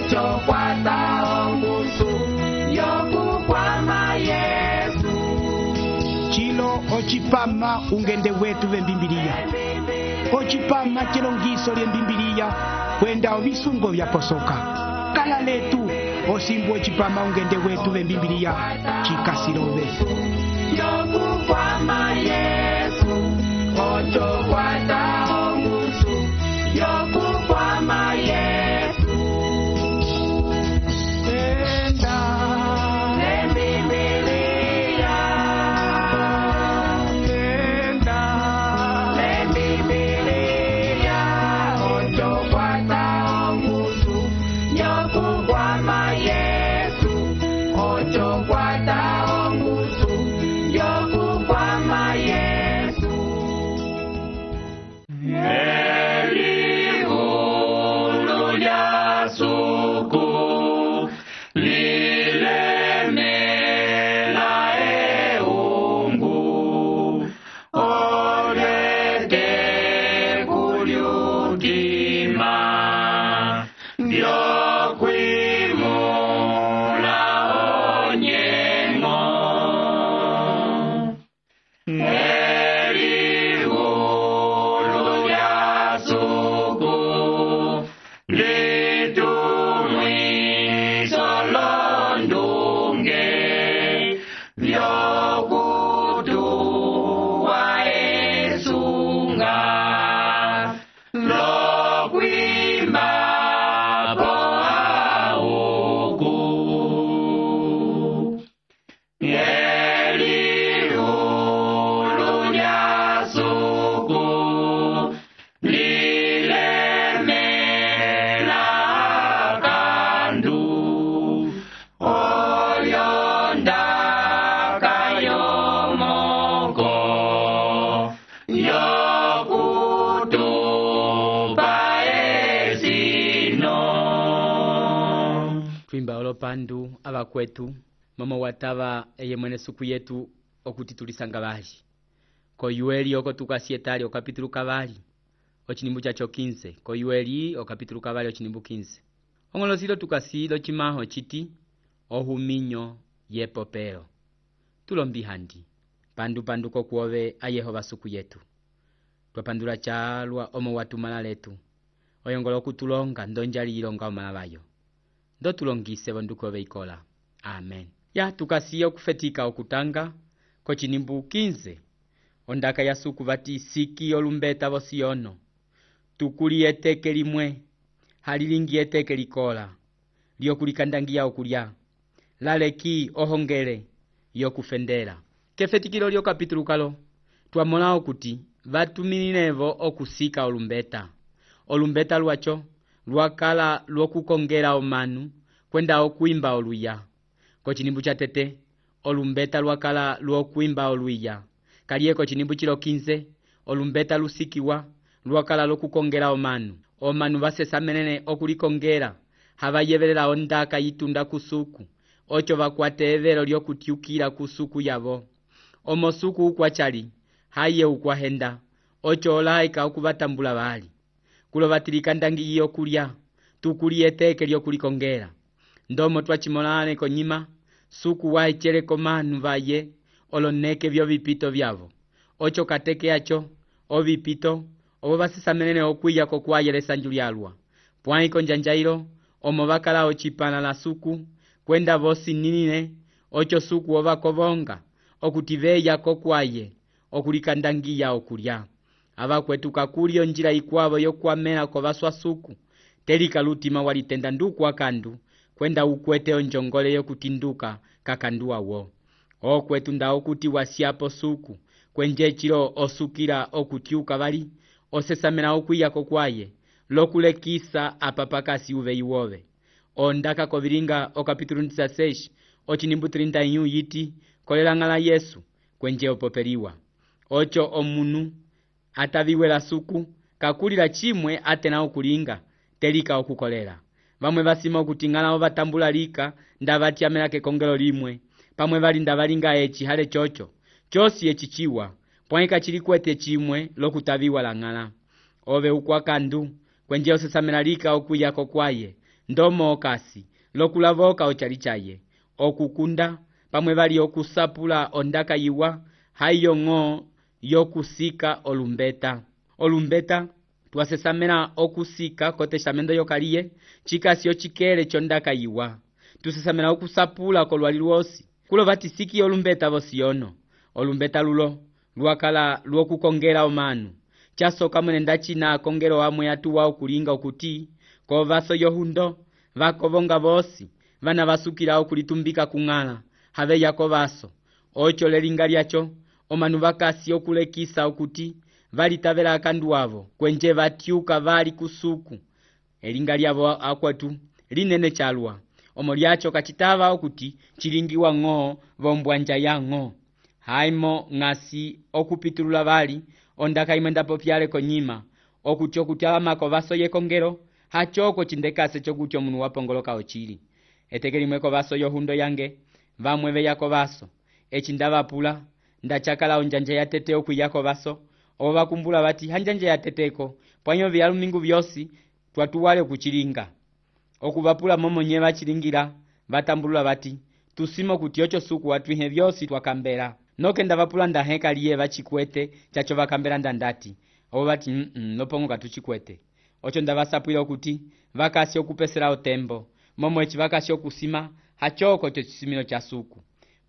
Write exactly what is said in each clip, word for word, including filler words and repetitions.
ocho kwata ongusu yokukwama Yesu. Chilo ochipama ungende wetu vembimbiliya. Ochipama chilongiso lyembimbiliya kwenda ovisungo vyaposoka. Kala letu osimbu ochipama ungende wetu vembimbiliya chikasilowe. Yokukwama Yesu, ocho kwata ongusu yokukwama Yesu. Enda nembimbiliya, enda nembimbiliya, ocho kwata ongusu yokukwama Yesu, ocho kwata ongusu yokukwama Yesu. Eliulu lya suku lilemela eungu olete kulyukima vyokwimula onyengo. Eliulu lya suku litumwiso londunge vyokutuwa esunga lokwimba po auku. Eliulu lya suku lilemela kandu olyonda kayomoko yokutupa esino. Twimba olopandu abakwetu mama wataba eye mwene suku yetu okuti tulisanga bali ko yueli oko tukasietali okapitulu kabali ochinimbu chacho quinze ko yueli okapitulu kabali ochinimbu quinze ongolosilo tukasilo chimaho chiti ohuminyo yepopeo tulombi handi pandu pandu ko kuove a Yehova suku yetu twapandula chalwa omo watumala letu oyongolo kutulonga ndonjali ilonga omalabayo ndo tulongise bonduko beikola. Amen. Ya tukasiyo kufetika okutanga ko chinimbu quinze ondaka ya suku bati siki olumbeta bosiono tukuli eteke limwe halilingi eteke likola lyokulikandangia okulya laleki ohongele yokufendela kefetikilo lyo kapitulu kalo twamola okuti batumilinevo okusika olumbeta olumbeta lwacho lwakala lwokukongela omanu kwenda okwimba oluya ko chinimbu cha tete olumbeta lwakala lwokwimba oluya kalieko chinimbu chilo quinze olumbeta lusikiwa lwakala lokukongela omanu omanu basesa menene okulikongela habayebelela ondaka yitunda kusuku ocho bakwate evelo lyokutyukila kusuku yabo omosuku ukwachali haye ukwahenda ocho olaika okubatambula bali kulo batilikandangi yokulya tukuli eteke lyokulikongela ndomo twachimolane konyima suku waichere komanu baye oloneke byo bipito byabo ocho kateke yacho obipito obo basisa menene okwiya ko kwayelesa njulyalwa pwai konjanjairo omo bakala ochipana la suku kwenda bosi ninine ocho suku obakobonga okutiveya ko kwaye okulikandangiya okulya abakwetuka kulyo njira ikwabo yokwamela ko baswa suku telika lutima walitenda nduku akandu kwenda ukwete onjongole yokutinduka kakandua wo okwetu nda okuti wasiapo suku kwenje chilo osukira okutyuka bali osesamena okwiya ko kwaye lokulekisa apapakasi uve iwove ondaka kovilinga okapitulu dezesseis ochinimbu trinta e um yiti kolelangala Yesu kwenje opopeliwa ocho omunu ataviwela suku kakulila chimwe atena okulinga telika okukolela bamwe basima okutingana obatambula lika ndabatiamela kekongelo limwe pamwe bali ndabalinga echi hale chocho chosi echichiwa pwaika chilikwete chimwe lokutaviwa langala ove ukwakandu kwenje osesamela lika okuyako kwaye ndomo okasi lokulavoka ochali chaye okukunda pamwe bali okusapula ondaka yiwa hayo ng'o yokusika olumbeta. Olumbeta twasesamena okusika ko testamento yokaliye chikasi ochikele chondaka yiwa. Tusesamena okusapula kolwali lwosi kulo batisiki olumbeta bosiono. Olumbeta lulo lwakala lwokukongela omanu chasoka mwene ndachina akongelo amwe atuwa okulinga okuti ko vaso yohundo vakovonga bosi vana basukila okulitumbika kung'ala have yako vaso ocho lelinga lyacho omanu bakasi okulekisa okuti valitavela akandu avo kwenje batyuka bali kusuku elinga lyabo akwatu linene chalwa omo lyacho kachitava okuti chilingiwa ng'o vombwanja ya ng'o haimo ng'asi okupitulula bali ondaka imwe ndapopyale konyima okuti okuti alamako vaso yekongelo hachoko chindekase chokuti omunu wapongoloka ochili etekelimweko vaso yohundo yange vamwe veyako vaso echi ndavapula ndachakala onjanja yatete okwiyako vaso obo bakumbula bati hanjanja yateteko pwanyo vyalumingu vyosi twatuwale kuchilinga okuvapula momonye bachilingira batambulula bati tusimo kuti ocho suku watwihe vyosi twakambera noke ndavapula ndaheka liye bachikwete chacho bakambera ndandati obo bati mm -mm, nopongo katuchikwete ocho ndavasapwila okuti vakasi okupesera otembo momo echi vakasi okusima hachoko cho chisimilo cha suku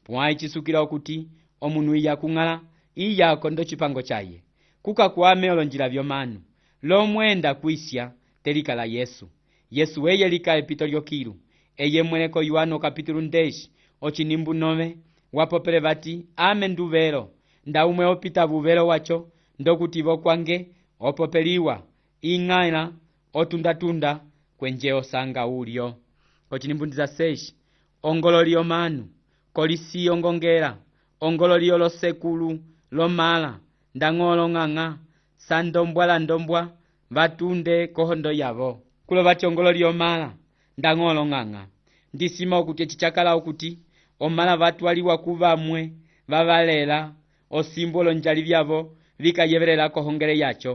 pwa ichisukila okuti omunu iya kung'ala iya kondo chipango chaye kuka kuame olonjila vyomanu lomwenda kuisya telikala Yesu Yesu weye lika epito lyokilu eye mweleko Yohano kapitulu ndeshi ochinimbu nove wapopele bati ame nduvelo ndaumwe opita buvelo wacho ndokuti vokwange opopeliwa ing'ala otundatunda kwenje osanga ulyo kochinimbundiza seshi ongololi omanu kolisi ongongela ongololi olosekulu lomala ndang'olo ng'ang'a sandombwala ndombwa batunde kohondo yavo kulo bati ongololi omala ndang'olo ng'ang'a ndisima okuti echichakala okuti omala batwaliwa kuvamwe babalela osimbolo njali byavo vikayevelela kohongele yacho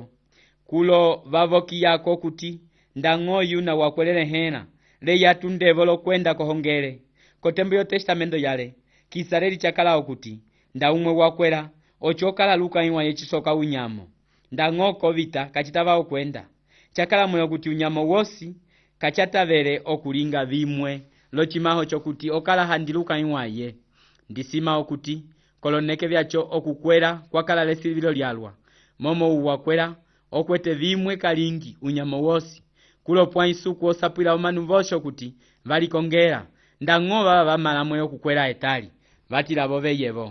kulo bavoki yako okuti ndang'oyu na wakwelele hena le yatundevo lokwenda kohongele kotembo yo testamento yale kisareli chakala okuti ndaumwe wakwela ochokala luka iwa yechisoka unyamo ndang'oko vita kachitava okwenda chakala mwe okuti unyamo wosi kachatavele okulinga vimwe lochimaho chokuti okala handiluka iwaye ndisima okuti koloneke vyacho okukwela kwakala lesivilo lyalwa momo uwakwela okwete vimwe kalingi unyamo wosi kulopwa isuku osapwila omanu vosho kuti valikongela ndang'o baba bamala mwe okukwela etali vatilavo beyevo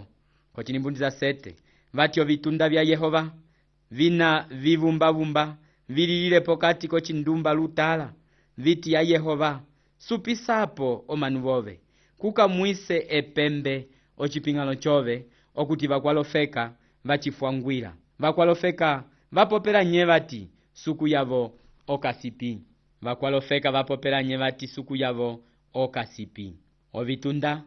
kochinimbundiza sete vatyo vitunda vya Yehova vina vivumbavumba vililile pokati kochindumba lutala viti ya Yehova supisapo omanu bove kuka mwise epembe ochipingalo chove okuti vakwalofeka vachifwangwila vakwalofeka vapopela nye vati suku yavo okasipi vakwalofeka vapopela nye vati suku yavo okasipi ovitunda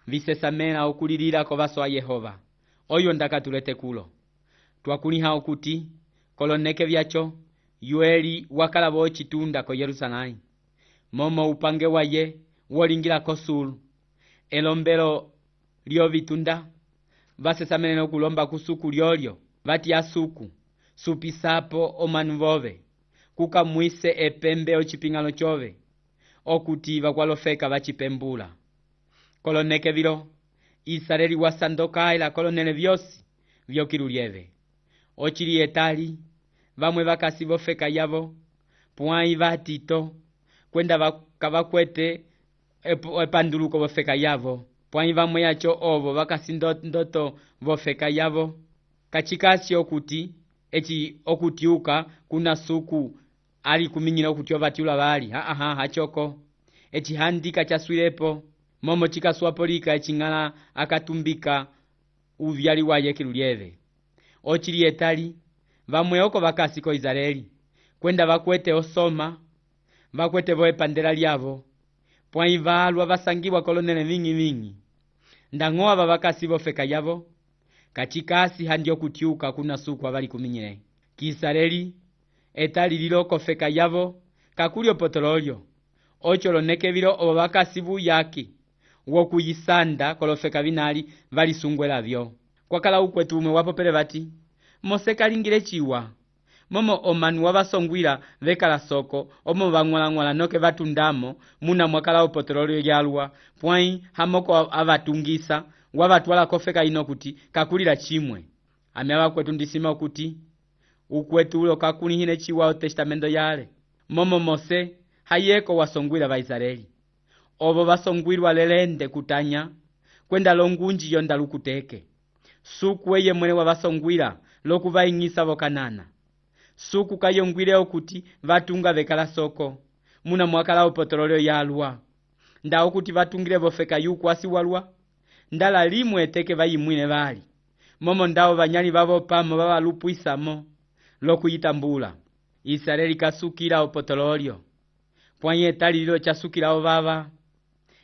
visesamela okulilila ko vaso a Yehova oyo ndakatulete kulo twakuliha okuti koloneke vyacho yueli wakala vochitunda ko Yerusalemu momo upange waye wolingila kosulu elombelo lyo vitunda vasesamene okulomba kusuku lyolyo vati asuku supisapo omanu vove kuka mwise epembe ochipingalo chove okuti vakwalofeka vachipembula koloneke vilo Israeli wasandoka ila kolonele vyosi vyokilulyeve ochili etali vamwe vakasi vofeka yavo pwai vatito kwenda vakavakwete epanduluko vofeka yavo pwai vamwe yacho ovo vakasi ndoto vofeka yavo kachikasi okuti echi okutiuka kuna suku ali kuminyila okuti ovatiula bali ha aha hachoko echi handika chaswilepo momo chikaswapolika eching'ala akatumbika uvyali waye kilulyeve ochili etali vamwe oko vakasi ko Israeli kwenda vakwete osoma vakwete vo epandela lyavo pwai valwa vasangiwa kolonele vingi vingi ndang'o ava vakasi vofeka yavo kachikasi handi okutiuka kuna suku avali kuminyile Kiisraeli etali lilo kofeka yavo kakulyo potololyo ocho loneke vilo obo bakasi buyaki wokuyisanda kolofeka binali valisungwela vyo. Kwakala ukwetu umwe wapopele bati Mose kalingile chiwa momo omanu wabasongwila vekala soko omo bang'wala-ng'wala noke batundamo muna mwakala upotorolio yalwa pwai hamoko abatungisa wabatwala kofeka ino kuti kakulila chimwe. Ame abakwetu ndisima kuti ukwetu ulo kakulihine chiwa o testamento yale momo Mose hayeko wasongwila Baisraeli obo basongwilwa lelende kutanya kwenda longunji yonda lukuteke suku eye mwene wabasongwila lokubaingisa bokanana suku kayongwile okuti vatunga vekala soko muna mwakala upotorolio yalwa nda okuti vatungile bofeka yukwasi walwa ndala limwe teke bayimwine bali momo ndao banyali babo pamo babalupwisamo lokuyitambula. Israeli kasukila upotorolio pwanye etalilo chasukila obaba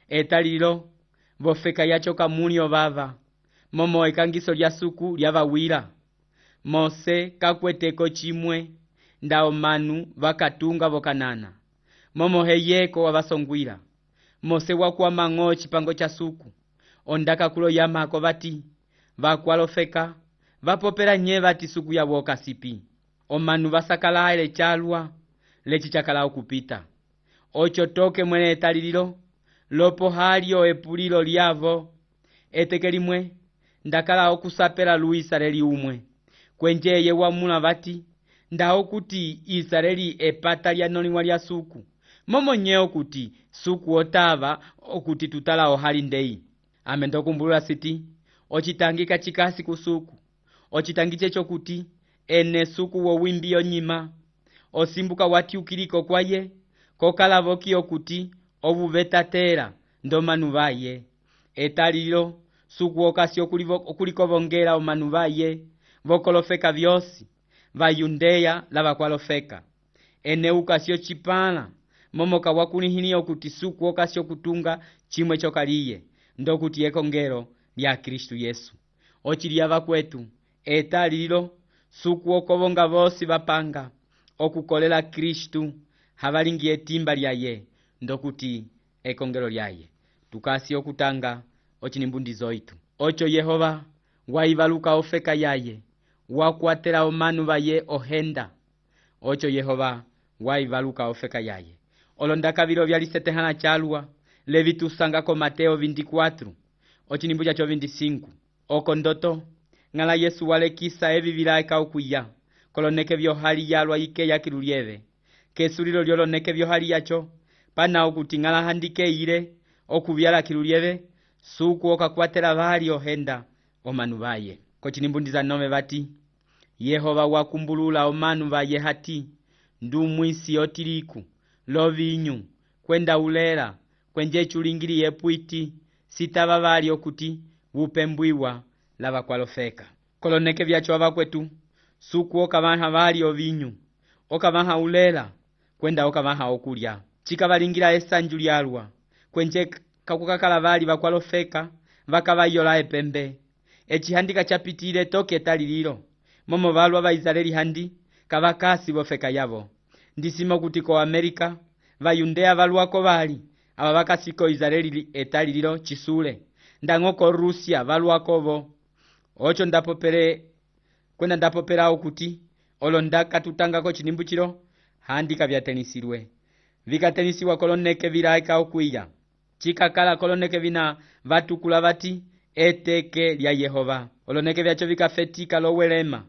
etalilo bofeka yacho kamuli obaba momo ekangiso lya suku lyabawila Mose kakweteko chimwe ndao manu bakatunga bokanana momo heyeko wabasongwila Mose wakwama ng'o chipango cha suku ondaka kulo yamako bati bakwalofeka bapopela nye bati suku ya boka sipi omanu basakala ele chalwa lechi chakala okupita ocho toke mwene etalililo lopo halio epulilo lyavo etekelimwe ndakala okusapela lu Israeli umwe kwenjeye wamula bati ndao kuti Israeli epata lya noliwa lya suku momo nyeo kuti suku otava okuti tutala ohali ndei. Ame ndokumbulula siti ochitangika chikasi kusuku ochitangiche chokuti ene suku wo wimbi onyima osimbuka wati ukiliko kwaye kokala voki okuti obubetatera ndomanu baye etalilo suku okasi okuliko bongela omanu baye vokolofeka vyosi vayundeya lavakwalofeka ene ukasio chipala momoka wakulihini okuti suku okasio kutunga chimwe chokaliye ndokuti ekongero lya Kristu Yesu ochilia bakwetu etalilo suku okobonga bosi bapanga okukolela Kristu habalingi etimba lyaye ndokuti ekongero lyaye tukasi okutanga ochinimbundizo itu ocho Yehova waibaluka ofeka yaye wakwatela omanu baye ohenda ocho Yehova waibaluka ofeka yaye olondaka bilo byalisetehana chalwa levitusanga ko Mateo veinticuatro ochinimbuja cho veinticinco oko ndoto ngala Yesu walekisa ebi bilaika okuya koloneke byo hali yalwa ike yakilulieve kesulilo lyoloneke byo hali yacho pana okuti ngala handike ile okubyala kilulieve suku okakwatela bali ohenda omanu baye kochinimbundiza nome bati Yehova wakumbulula omanu baye hati ndumwisi otiriku lovinyu kwenda ulela kwenje chulingili yepwiti sitaba bali okuti bupembwiwa lava kwalofeka koloneke byacho abakwetu suku okabaha bali ovinyu okabaha ulela kwenda okabaha okulya chikabalingira esanju lyalwa kwenje kakukakala bali bakwalofeka bakabayola epembe echihandika chapitile toke talililo momo balwa ba Israeli handi kabakasi bofeka yabo ndisimo kuti ko Amerika bayundea balwako bali aba bakasiko Israeli etalililo chisule ndangoko Rusia balwako bo ocho ndapopere kwenda ndapopera okuti olondaka tutangako chinimbuchiro handika byatenisirwe vikatenisiwa koloneke bilaika okwiya chikakala koloneke bina vatukula bati eteke lya Yehova oloneke byacho vikafetika lowelema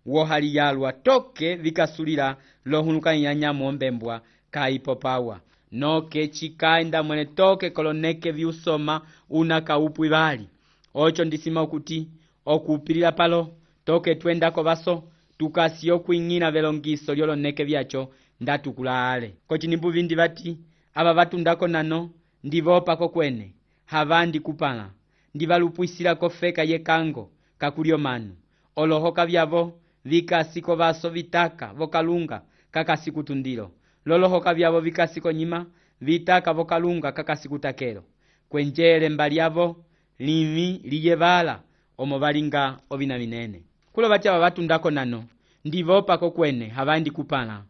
wohali yalwa toke vikasulira lohunuka nyanyamo mbembwa kaipopawa noke chikaenda mwene toke koloneke viusoma una kaupwi bali ocho ndisima okuti okupilira palo toke twendako baso tukasio kuingina velongiso lyoloneke byacho ndatukula ale kochinimbu bindi bati aba batundako nano ndivopako kwene havandi kupala ndivalupwisira kofeka yekango kakulio manu olohoka byabo vikasiko baso vitaka vokalunga kakasikutundilo lolohoka byabo vikasiko nyima vitaka vokalunga kakasikutakelo kwenjele mbalyabo limi liyebala omo balinga obina binene kulo bati aba batundako nano ndivopako kwene havandi kupala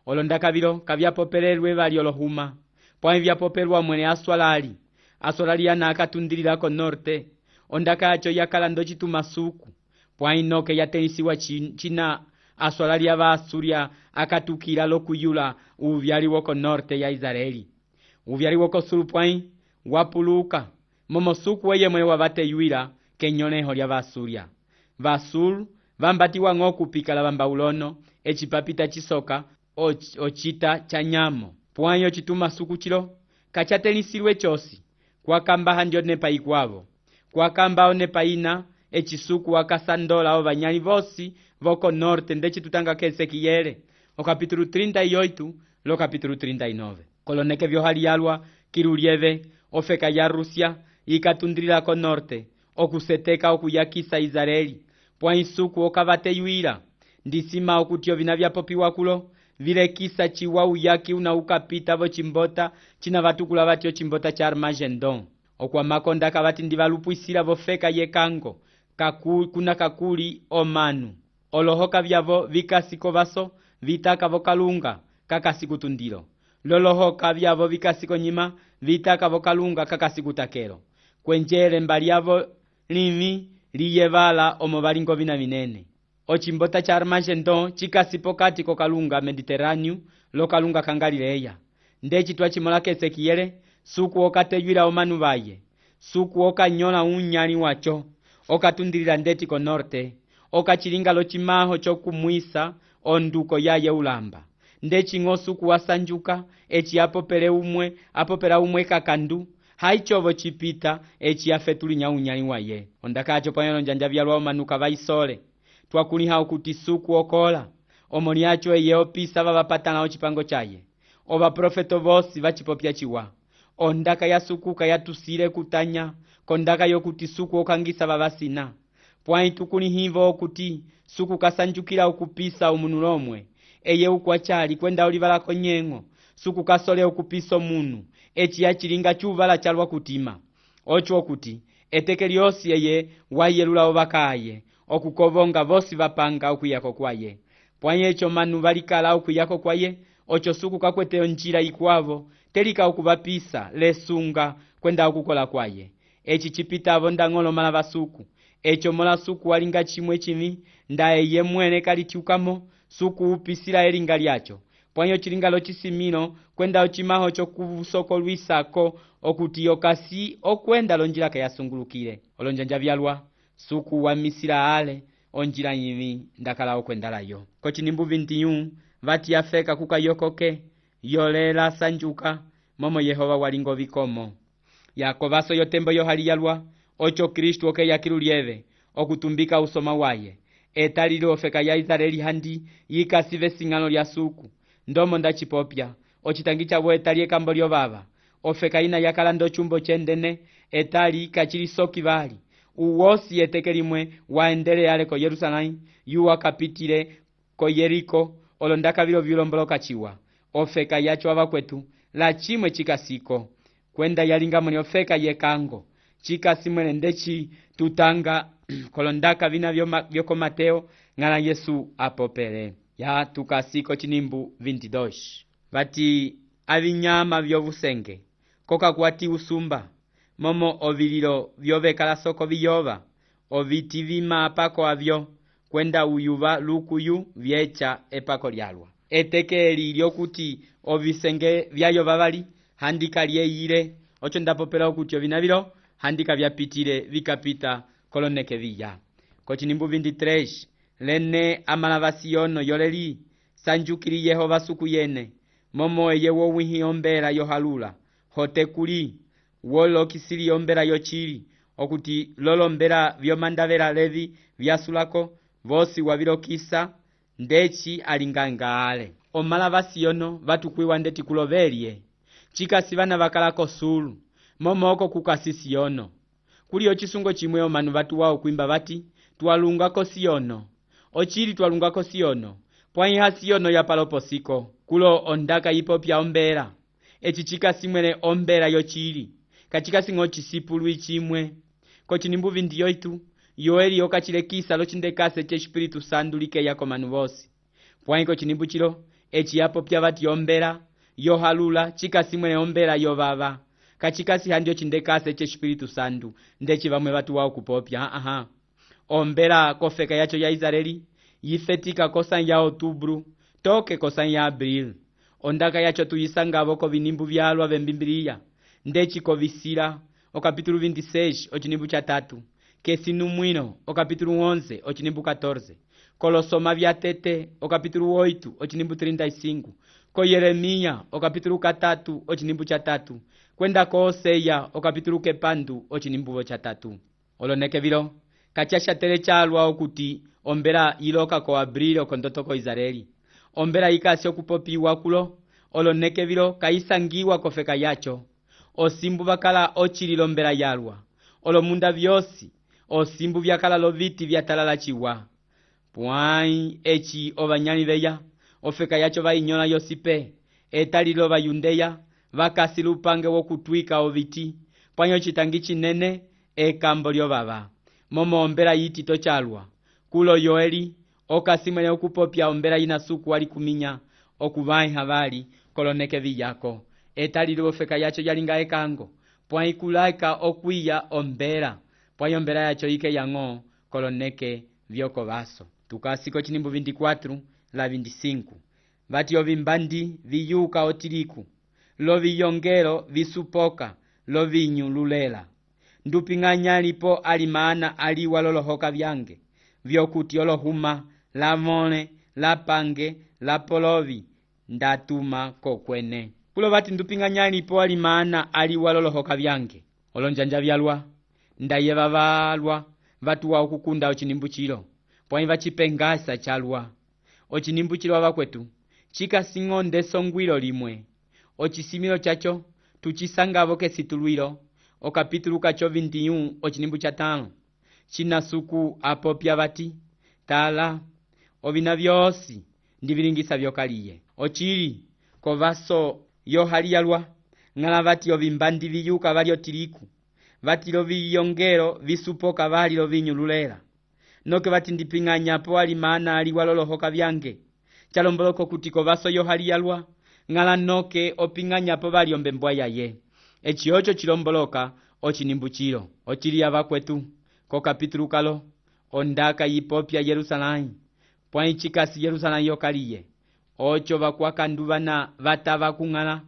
olondaka bilo kabyapopelelwe bali olohuma pwãyi vyapopelwa mwene aswalali aswalali ana akatundilila ko norte ondaka yacho yakala ndo citumasuku pwãyi noke yatenisiwa cina aswalali ava Asuria akatukila lokuyula uvyali woko norte ya Israeli. Uvyali woko sulu pwãyi wapuluka momo suku weye mwene wavateyuila kenyoleho lya Vasuria. Vasulu vambatiwa ng'o kupikala vambaulono eci papita cisoka ocita ca nyamo pwãyi ocitumasuku cilo kacatenisiwe cosi kwakambaha ndio nepa ikwavo kwakambao nepa ina ecisuku wakasandola o vanyali vosi voko norte ndeci tutanga kesekiyele o capítulo trinta e oito lo capítulo trinta e nove koloneke vyohaliyalwa kilulieve ofeka ya Rusia ikatundilila ko norte okuseteka okuyakisa Israeli pwãyi suku okavateyuila ndisima okuti ovina vyapopiwa kulo vilekisa ciwa uyaki una ukapita vo cimbota cina vatukula vatyo cimbota ca Armagedon okwamakonda kavati ndivalupwisila vofeka yekango kaku, kuna kakuli omanu olohoka vyavo vikasiko vaso vitaka vokalunga kakasikuundilo lolohoka vyavo vikasiko nyima vitaka vokalunga kakasikutakelo kwenjele mbali yavo limi liyevala omo valingo vina vinene ocimbota ca Armagedon cikasipo kati kokalunga Mediterrâneo lokalunga ka Galileya ndeci twacimola kesekiyele suku okateyuila omanu vaye suku okanyola unyali wacho okatundilila ndeti ko norte okacilinga locimaho cokumwisa onduko yaye ulamba ndeci ng'o suku wasanjuka eci apopele umwe apopela umwe kakandu haicovo cipita eci afetulinya unyali waye ondakaco pwãyi njanja vyalwa omanuka vaisole twakuliha okuti suku okola omoni yacho eye opisa vavapatala ocipango caye ovaprofeto vosi vacipopya ciwa ondaka yasukuka yatusile kutanya kondaka yokuti suku okangisa vavasina pwãyi tukulihivo okuti suku kasanjukila okupisa umunu lomwe eye ukwacali kwenda olivala konyeng'o suku kasole okupisa omunu eci yacilinga cuvala calwa kutima oco okuti eteke lyosi eye wayelula ovakaye okukovonga vosi vapanga okuyako kwaye pwãyi eco manu valikala okuyako kwaye oco suku kakwete onjila ikwavo telika okuvapisa lesunga kwenda okukola kwaye eci cipitavo ndang'olo mala vasuku eco mola suku walinga cimwe cimi nda eye mwene kalitiukamo suku upisila elinga lyaco pwãyi ocilinga locisimilo kwenda ocimaho cokusokolwisako okuti okasi okwenda lonjila kayasungulukile olonjanja vyalwa suku wamisila ale onjila yimi ndakala okwendalayo kocinimbu vinte e um vati afeka kukayokoke yolela sanjuka momo Yehova walingo vikomo yakovaso yotembo yohaliyalwa oco Kristu okeya kilulieve okutumbika usoma waye etalile ofeka ya Israeli handi yikasive sing'ano lya suku ndomo ndacipopya ocitangi cavo etali ekambo lyovava ofeka ina yakala ndo cumbo cendene etali kacilisoki vali uwosi eteke limwe waendele ale ko Yerusalemu yuwa kapitile ko Yeriko olondaka vilo vilomboloka ciwa ofeka yacho avakwetu la cimwe cikasiko kwenda yalinga moni ofeka yekango cikasimwele ndeci tutanga kolondaka vina vyoko Mateo ng'ala Yesu apopele ya tukasiko cinimbu vinte e dois vati avinyama vyovusenge kokakwati usumba momo ovililo vyovekala soko viyova oviti vima pako avyo kwenda uyuva lukuyu vyeca epako lyalwa eteke eli lyokuti ovisenge vyayova vali handika lyeyile oco ndapopela okuti ovina vilo handika vyapitile vikapita koloneke viya kocinimbu vinte e três lene amala vasiyono yoleli sanjukili Yehova suku yene momo eye wowihi ombela yohalula hotekuli wolokisili ombela yocili okuti lolombela vyomandavela levi vyasulako vosi wavilokisa ndeci alinganga ale omala vasiyono vatukwiwa ndeti kulovelye cikasi vana vakalako sulu momo oko kukasi Siyono kuliyo cisungo cimwe omanu vatuwa okwimba vati twalungako Siyono ocili twalungako Siyono pwãyi ha Siyono yapaloposiko kulo ondaka yipopya ombela eci cikasimwele ombela yocili kacikasi cisipulu cimwe kocinimbu vinte e oito yoeli okacilekisa locindekase c'Espiritu Santo likeya komanu vosi pwãyi kocinimbu cilo eci yapopya vati ombela yohalula chikasimwene ombela yovava kachikasi handio chindekase che Espírito Santo ndechi vamwe vatu wao kupopya aha ombela kofeka yacho ya Israeli yifetika kosan ya outubro toke kosan ya abril ondaka yacho tuyisangavo ko vinimbu vyalwa vembimbilia ndechi kovisira o capítulo vinte e seis o chinimbu cha tatu kesinu mwino o capítulo onze o chinimbu catorze kolosoma vya tete o capítulo oito o chinimbu trinta e cinco ko Yeremia o capítulo katatu o chinimbu cha tatu kwenda ko Oseya o capítulo kepandu o chinimbu cha tatu oloneke vilo kachasha tere chalwa okuti ombela iloka ko abril ko ndoto ko Israeli ombela ikasi okupopiwa kulo oloneke vilo kaisangiwa kofeka yacho osimbu bakala ochililo ombela yalwa olomunda vyosi osimbu vyakala loviti vyatalala chiwa puai echi obanyani beya ofeka yacho vainyola yosipe etalilo bayundeya vakasi lupange wokutwika oviti panyo chitangi chinene ekambo lyo baba momo ombela yiti tochalwa kulo yoeli okasimene okupopya ombela ina suku wali kuminya okubai habari koloneke viyako etalilo ofeka yacho yalinga ekango puai kulaika okwiya ombela puai ombela yacho ike yango koloneke vyoko baso tukasiko chinimbu vinte e quatro la vinte e cinco vati ovimbandi viyuka otiriku lo viyongero visupoka lo vinyu lulela ndupinganya lipo alimana aliwa lolohoka vyange vyokuti olohuma la mole la pange la polovi ndatuma kokwene kulo vati ndupinganya lipo alimana aliwa lolohoka vyange olonjanja vyalwa ndayeva valwa vatu wa ukukunda ochinimbu chilo pwai vachipengasa chalwa ochinimbu chilo avakwetu chikasingonde songwilo limwe ochisimilo chacho tuchisangavo kesitulwilo o capítulo kacho vinte e um ochinimbu cha tano chinasuku apopya vati tala ovina vyosi ndivilingisa vyokaliye ochili kovaso yohaliyalwa ng'ala vati ovimbandi viyuka valyo tiriku vati lo viyongero visupoka vali lo vinyululela noke vati ndiping'anyapo alimana aliwa lolohoka vyange chalomboloko kuti kovaso yohaliyalwa ng'ala noke oping'anyapo vali ombembwa yaye echi ocho chilomboloka ochinimbu chilo ochili avakwetu ko capítulo kalo ondaka yipopya Yerusalém pwai chikasi Yerusalém yokaliye ocho vakwakanduvana vatava kung'ala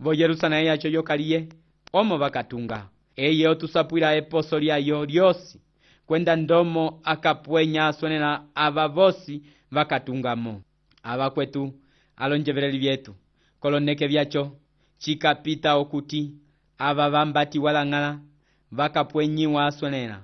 vo Yerusalém yacho yokaliye omo vakatunga eye otusapwila eposo lyayo lyosi kwenda ndomo akapwenya asonela ava vosi vakatungamo avakwetu alonjeveleli vyetu koloneke vyacho chikapita okuti ava vambati walang'ala vakapwenyiwa asonela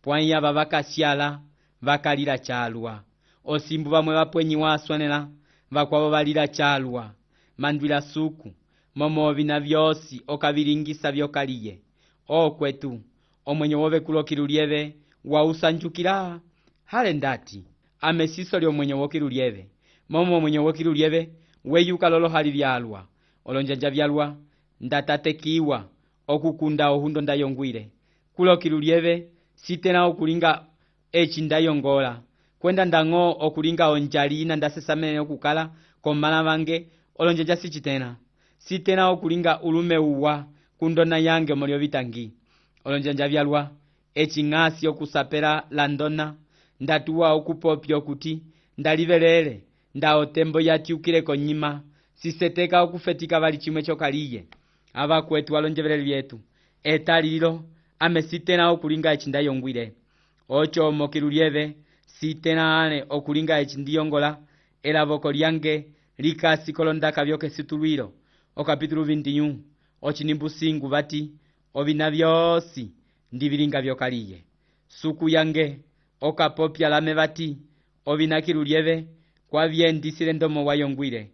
pwai ava vakasyala vakalila chalwa osimbu vamwe vapwenyiwa asonela vakwavo valila chalwa mandwila suku momo ovina vyosi okavilingisa vyokaliye okwetu omwenyo wove kulokilulyeve wausanjukila hale ndati amesiso lyomwenyo wokilulyeve momo omwenyo wokilulyeve weyuka lolo hali vyalwa olonjanja vyalwa ndatatekiwa okukunda ohundo ndayongwile kulokilulyeve sitena okulinga echi ndayongola kwenda ndang'o okulinga onjalina ndasesamene okukala komala vange olonjanja sichitena sitena okulinga ulume uwa kundona yange molyo vitangi olonjanja vyalwa echi ng'asi okusapela landona ndatuwa okupopya okuti ndalivelele nda otembo yatyukile konyima siseteka okufetika vali chimwe chokaliye avakwetu alonjeveleli vyetu etalilo ame sitena okulinga echi ndayongwile ocho mokilulyeve sitena ale okulinga echi ndiyongola elavoko lyange likasi kolondaka vyokesitulwilo o capítulo vinte e um ochinimbu singu vati ovina vyosi ndivilinga vyokaliye suku yange okapopya lame vati ovina kilulyeve kwavyendisile ndomo wayongwile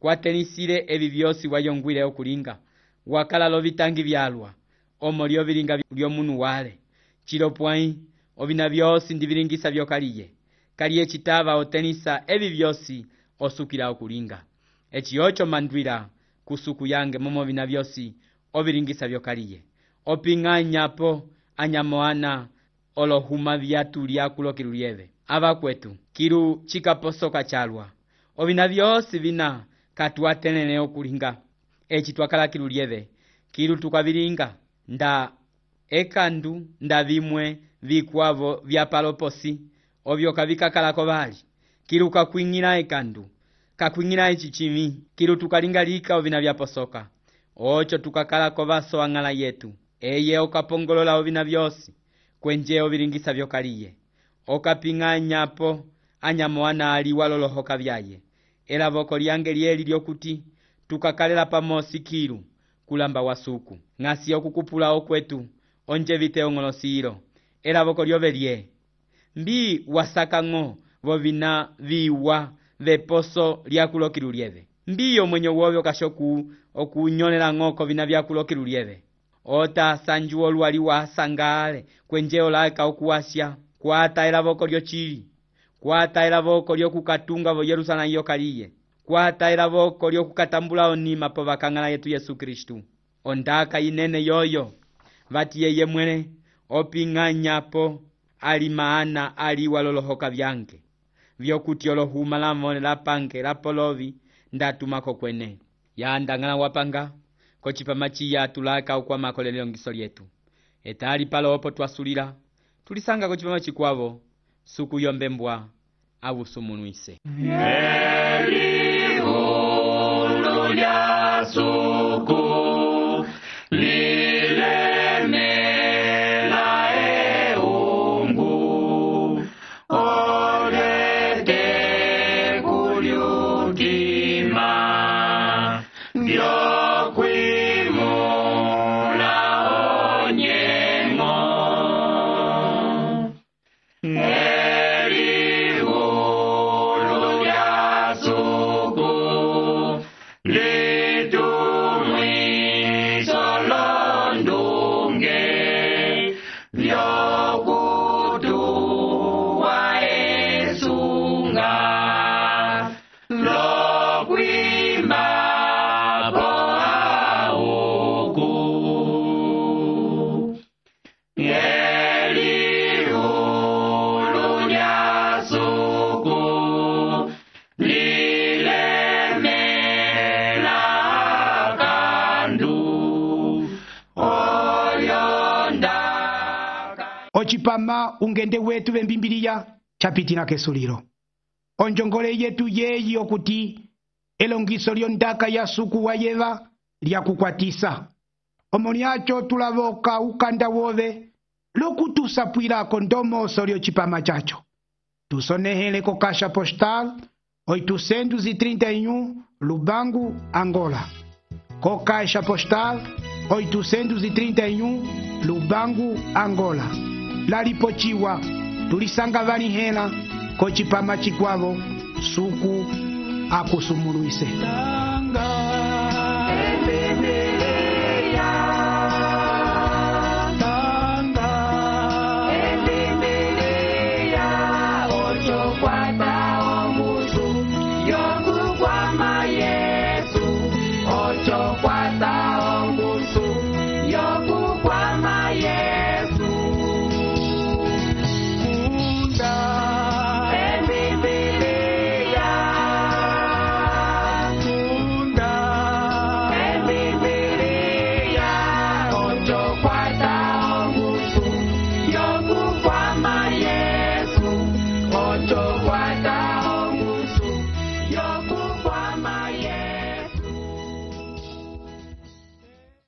kwatenisile evi vyosi wayongwile okulinga wakala lovitangi vyalwa omo lyovilinga lyomunu wale chilo pwai ovina vyosi ndivilingisa vyokaliye kaliye chitava otenisa evi vyosi osukila okulinga echi ocho mandwila kusuku yange momo vina vyosi ovilingisa vyokaliye oping'anyapo anyamoana olohuma vyatu lyakulo kilulyeve avakwetu kilu chikaposoka chalwa ovina vyosi vina katuatenene okulinga eci twakala kilu lieve kilu tukavilinga nda ekandu nda vimwe vikwavo vya paloposi ovyo kavikakalako vali kilu kakwing'ila ekandu kakwing'ila ecichimi kilu tukalingalika ovina vyaposoka ocho tukakalako vaso ang'ala yetu eye okapongolola ovina vyosi kwenje ovilingisa vyokaliye okaping'anyapo anyamo anali walolohoka vyaye elavoko lyange lyeli lyokuti tukakalela pamosi kilu kulamba wasuku ng'asi okukupula okwetu onje viteong'olosilo elavoko lyove lye mbi wasakang'o vovina viwa veposo lyakulokilu lyeve mbiyo mwenye wovyo kashoku okunyolela ng'oko vina vyakulokilu lyeve ota sanju olwali wasangale kwenje olaeka okuwasya kwata elavoko lyochili kwata elavoko lyokukatunga vo Yerusalemu yokaliye kwata elavoko lyokukatambula onima po vakang'ala yetu Yesu Kristu ondaka inene yoyo vati yeye mwene oping'anyapo ali maana ali walolohoka vyange vyokuti olohuma lamone lapange lapolovi ndatumako kwene yandang'ala wapanga kochipama chiya tulaka ukwamako lelongiso lyetu etali palopo twasulila tulisanga kochipama chikwavo suku yombembwa avusumunwise Elihulo lya suku lilemela eungu olete kulyutima vyokwimula onyengo Elihulo lya suku litumwiso londunge vyokutuwa esunga lokwima po auku Elihulo lya suku lilemela kandu oyondaka ocipama ungende wetu vembimbiliya chapitina kesulilo onjongole yetu yeyi okuti elongiso lyondaka ya suku wa yeva lyakukwatisa omo lyacho tulavoka ukanda wove lokutusapwilako ndomoso lyocipama chacho tusonehele ko kasha postal oitocentos e trinta e um Lubango, Angola. Co caixa postal oitocentos e trinta e um Lubango, Angola. Lalipochiwa tulisanga vanihela kochipama chikwavo suku akusumuluise. Ocho, cuatro,